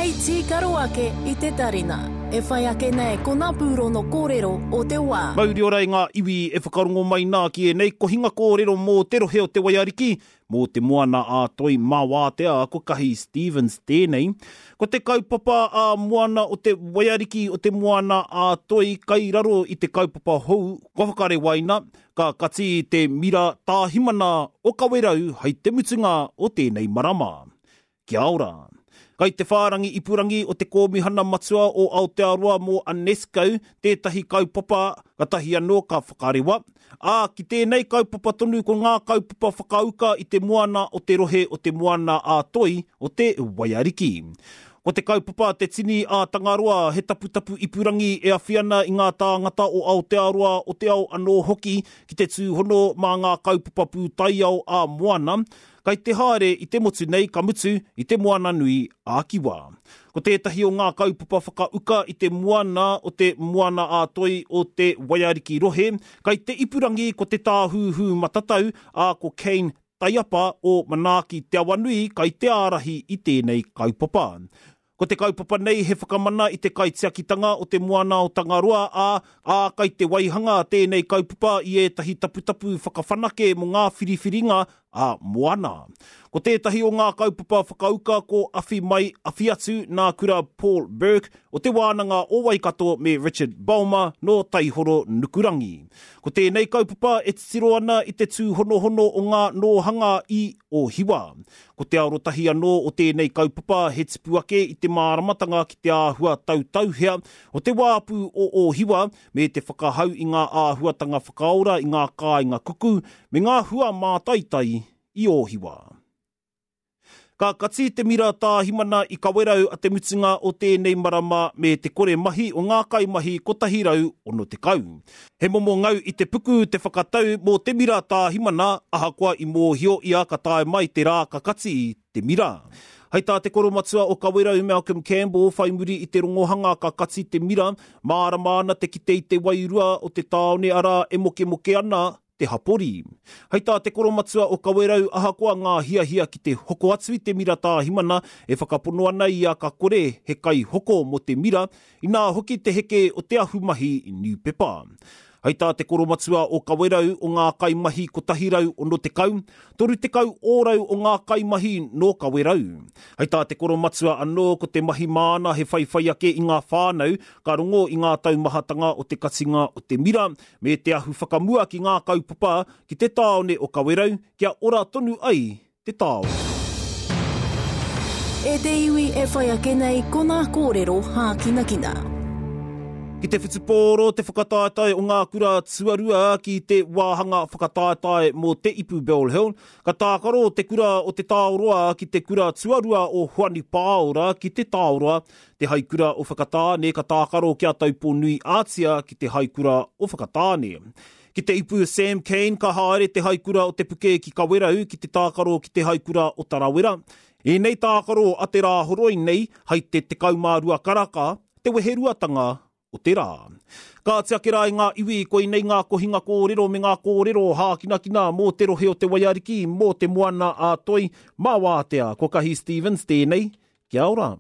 Hei tīkaro ake i te tarina. E whai ake nei ko ngā pūrono kōrero o te wā. Mauri ora i ngā iwi e whakarongo mai nā ki ēnei kohinga kōrero mō te rohe o Te Waiariki, mō Te Moana a Toi mā Wātea, ko Kahi Stevens tēnei. Ko te kaupapa ā moana o Te Waiariki o Te Moana a Toi kai raro i te kaupapa hou kua whakarewaina, ka kati te mira tāhimana o Kawerau hai te mutunga o tēnei marama. Kia ora. Kai te whārangi ipurangi o te Kōmihana Matua o Aotearoa mō UNESCO tētahi kaupapa katahi anō ka whakarewa, ā, ki tēnei kaupapa tonu ko ngā kaupapa whakauka i te moana o te rohe o Te Moana-a-Toi o te Waiariki. Ko te kaupapa Te Tini a Tangaroa he taputapu ipurangi e awhi ana i ngā tāngata o Aotearoa o te ao anō hoki ki te tūhono mā ngā kaupapa pūtaiao ā-moana, Kai te haere i te motu nei ka mutu i te Moana Nui a Kiwa. Ko tētahi o ngā kaupapa whakauka i te moana o te Moana a Toi o te Waiariki rohe, kai te ipurangi ko te tāhūhū matatau a ko Kane Taiapa o Manaaki Te Awanui kai te ārahi i tēnei kaupapa. Ko te kaupapa nei he whakamana i te kaitiakitanga o te moana o Tangaroa, ā, ā, kai te waihanga tēnei kaupapa i ētahi taputapu whakawhanake mō ngā whiriwhiringa ā moana. Ko tētahi o ngā kaupapa whakauka ko Awhi Mai, Awhi Atu nā Kura Paul Burke o Te Wānanga o Waikato me Richard Bulmer nō Taihoro Nukurangi. Ko tēnei kaupapa e titiro ana i te tūhonohono o ngā nōhanga i Ōhiwa. Ko te arotahi anō o tēnei kaupapa he tipu ake i te māramatanga ki te āhua tautauhea o te wāpu o Ōhiwa me te whakahau i ngā āhuatanga whakaora i ngā kāinga kuku me ngā hua mātaitai i Ōhiwa. Ka kati te mira tāhimana i Kawerau a te mutunga o tēnei marama me te kore mahi o ngā kaimahi 160. He momo ngau i te puku te whakatau mō te mira tāhimana ahakoa i mōhio ia ka tae mai te rā ka kati te mira. Hei tā te koromatua o Kawerau Malcolm Campbell whai muri i te rongohanga ka kati te mira, mārama ana te kite i te wairua o te tāone arā e mokemoke ana te hapori. Hei tā te koromatua o Kawerau ahakoa ngā hiahia ki te hoko atu i te mira tāhimana e whakapono ana ia ka kore he kaihoko mō te mira, inā hoki te heke o te ahumahi niupepa. Hei tā te koromatua o Kawerau o ngā kaimahi 160, 30 ōrau o ngā kaimahi nō Kawerau. Hei tā te koromatua anō ko te mahi māna he whaiwhai ake i ngā whānau ka rongo i ngā taumahatanga o te katinga o te mira me te ahu whakamua ki ngā kaupapa ki te tāone o Kawerau kia ora tonu ai te tāone. E te iwi e whai ake nei ko ngā kōrero hākinakina. Ki te whutupōro te whakataetae o ngā kura tuarua ki te wāhanga whakataetae mō te Ipu Bell Hill, ka tākaro te kura o Te Taoroa ki te kura tuarua o Hoani Pāora ki Te Taoroa Te Haikura o Whakatāne ka tākaro ki a Taupō-nui Ātia ki Te Haikura o Whakatāne. Ki te ipu Sam Cane ka haere Te Haikura o Te Puke ki Kawerau ki te tākaro ki Te Haikura o Tarawera. Ēnei tākaro a te Rāhoroi nei hai te 12 karaka te weheruatanga o te rā. Kāti ake rā i ngā iwi, koinei ngā kohinga kōrero me ngā kōrero hākinakina mō te rohe o Te Waiariki, mō Te Moana a Toi, mā Wātea, ko Kahi Stevens tēnei, kia ora.